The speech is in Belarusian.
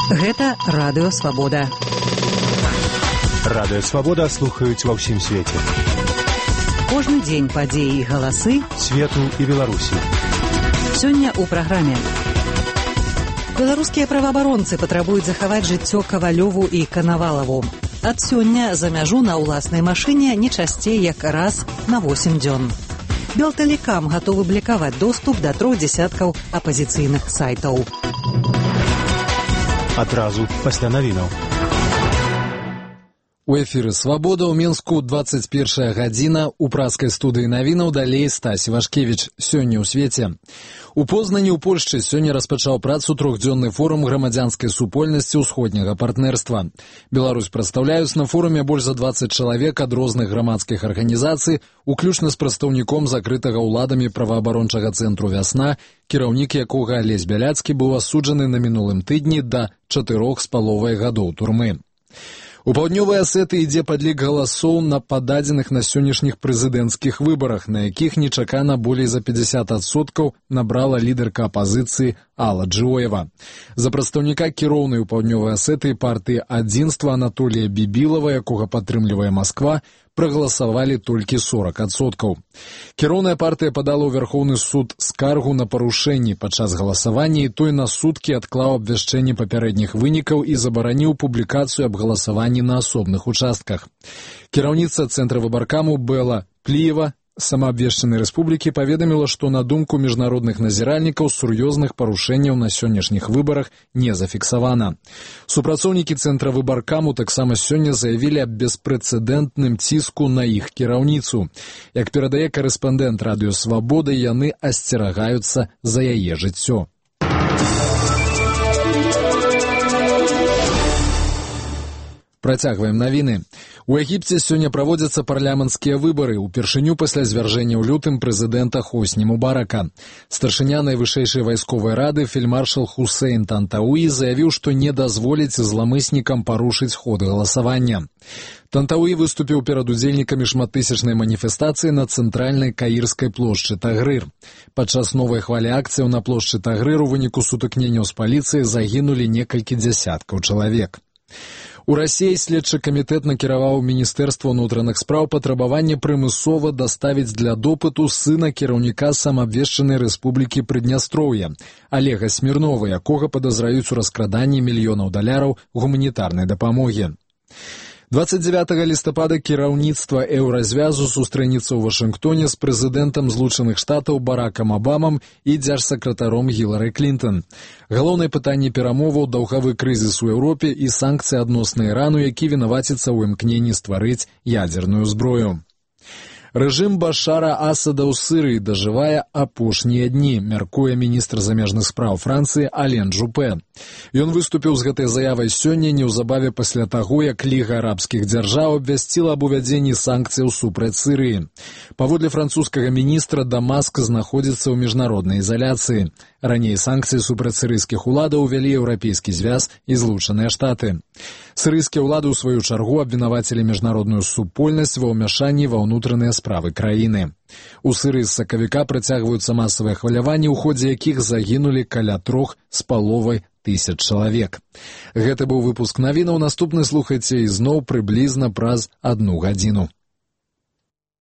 Гэта Радыё Свабода. Радыё Свабода слухаюць ва ўсім свеце. Кожны дзень падзеі і галасы свету і Беларусі. Сёння ў праграме. Беларускія праваабаронцы патрабуюць захаваць жыццё Кавалёву і Канавалаву. Ад сёння за мяжу на ўласнай машыне не часцей як раз на 8 дзён. Белтэлекам гатовы блакаваць доступ да 3 дзясяткаў апазіцыйных сайтаў. Адразу пасля навінаў. У эфіры «Свабода» ў Мінску 21 гадзіна. У праскай студыі навінаў далей Стась Івашкевіч. Сёння ў свеце. У Познані ў Польшчы сёння распачаў працу трохдзённы форум грамадзянскай супольнасці ўсходняга партнерства. Беларусь прадстаўляюць на форуме больш за 20 чалавек ад розных грамадскіх арганізацый, уключна з прадстаўніком закрытага ўладамі праваабарончага цэнтру «Вясна», кіраўнік якога Алесь Бяляцкі быў асуджаны на мінулым тыдні да 4,5 гадоў турмы. У паўднёвай Асетыі ідзе падлік галасоў на пададзеных на сённяшніх прэзідэнцкіх выбарах, на якіх нечакана болей за 50% набрала лідарка апазіцыі Алла Джоева. За прадстаўніка кіроўнай у паўднёвай Асетыі партыі «Адзінства» Анатолія Бібілава, якога падтрымлівае Масква, прагаласавалі толькі 40%. Кіроўная партыя падала ў Вярхоўны суд скаргу на парушэнні падчас галасавання, і той на суткі адклаў абвяшчэнне папярэдніх вынікаў і забараніў публікацыю аб галасаванні на асобных участках. Кіраўніца Цэнтра выбаркаму Бэла Пліева самаабвешчанай рэспублікі паведаміла, што на думку міжнародных назіральнікаў сур'ёзных парушэнняў на сённяшніх выбарах не зафіксавана. Супрацоўнікі Цэнтра выбаркаму таксама сёння заявілі аб беспрэцэдэнтным ціску на іх кіраўніцу. Як перадае карэспандэнт Радыё Свабода, яны асцерагаюцца за яе жыццё. Працягваем навіны. У Егіпце сёння праводзяцца парламенцкія выбары, упершыню пасля звяржэння ў лютым прэзідэнта Хосні Мубарака. Старшыня найвышэйшай вайсковай рады фельдмаршал Хусейн Тантауі заявіў, што не дазволіць зламыснікам парушыць ход галасавання. Тантауі выступіў перад удзельнікамі шматтысячнай маніфестацыі на цэнтральнай каірскай плошчы Тагрыр. Падчас новай хвалі акцыяў на плошчы Тагрыр у выніку сутыкненняў з паліцыяй загінулі некалькі дзясяткаў чалавек. У Расіі следчы камітэт накіраваў Міністэрства ўнутраных спраў патрабаванне прымусова даставіць для допыту сына кіраўніка самаабвешчанай рэспублікі Прыднястроўя Олега Смірнова, якога падазраюць у раскраданні мільёнаў даляраў гуманітарнай дапамогі. 29 лістапада кіраўніцтва Еўразвязу сустрэнецца ў Вашынгтоне з прэзідэнтам Злучаных Штатаў Баракам Абамам і дзяржсакратаром Гілары Клінтон. Галоўнае пытанне перамоваў — даўгавы крызіс у Еўропе і санкцыі адносна Ірану, які вінаваціцца ў імкненні стварыць ядзерную зброю. Рэжым Башара Асада ў Сырыі дажывае апошнія дні, мяркуе міністр замежных спраў Францыі Ален Жупе. Ён выступіў з гэтай заявай сёння неўзабаве пасля таго, як Ліга арабскіх дзяржаў абвясціла аб увядзенні санкцыяў супраць Сырыі. Паводле французскага міністра, Дамаск знаходзіцца ў міжнароднай изаляцыі. Раней санкцыі супраць сырыйскіх уладаў увялі Еўрапейскі звяз і Злучаныя Штаты. Сырыйскія ўлады ў сваю чаргу абвінавацілі міжнародную супольнасць ва ўмяшанні ва ўнутраныя справы краіны. У Сырыі з сакавіка працягваюцца масавыя хваляванні, у ходзе якіх загінулі каля 3,5 тысяч чалавек. Гэта быў выпуск навінаў. Наступны слухайце ізноў прыблізна праз 1 гадзіну.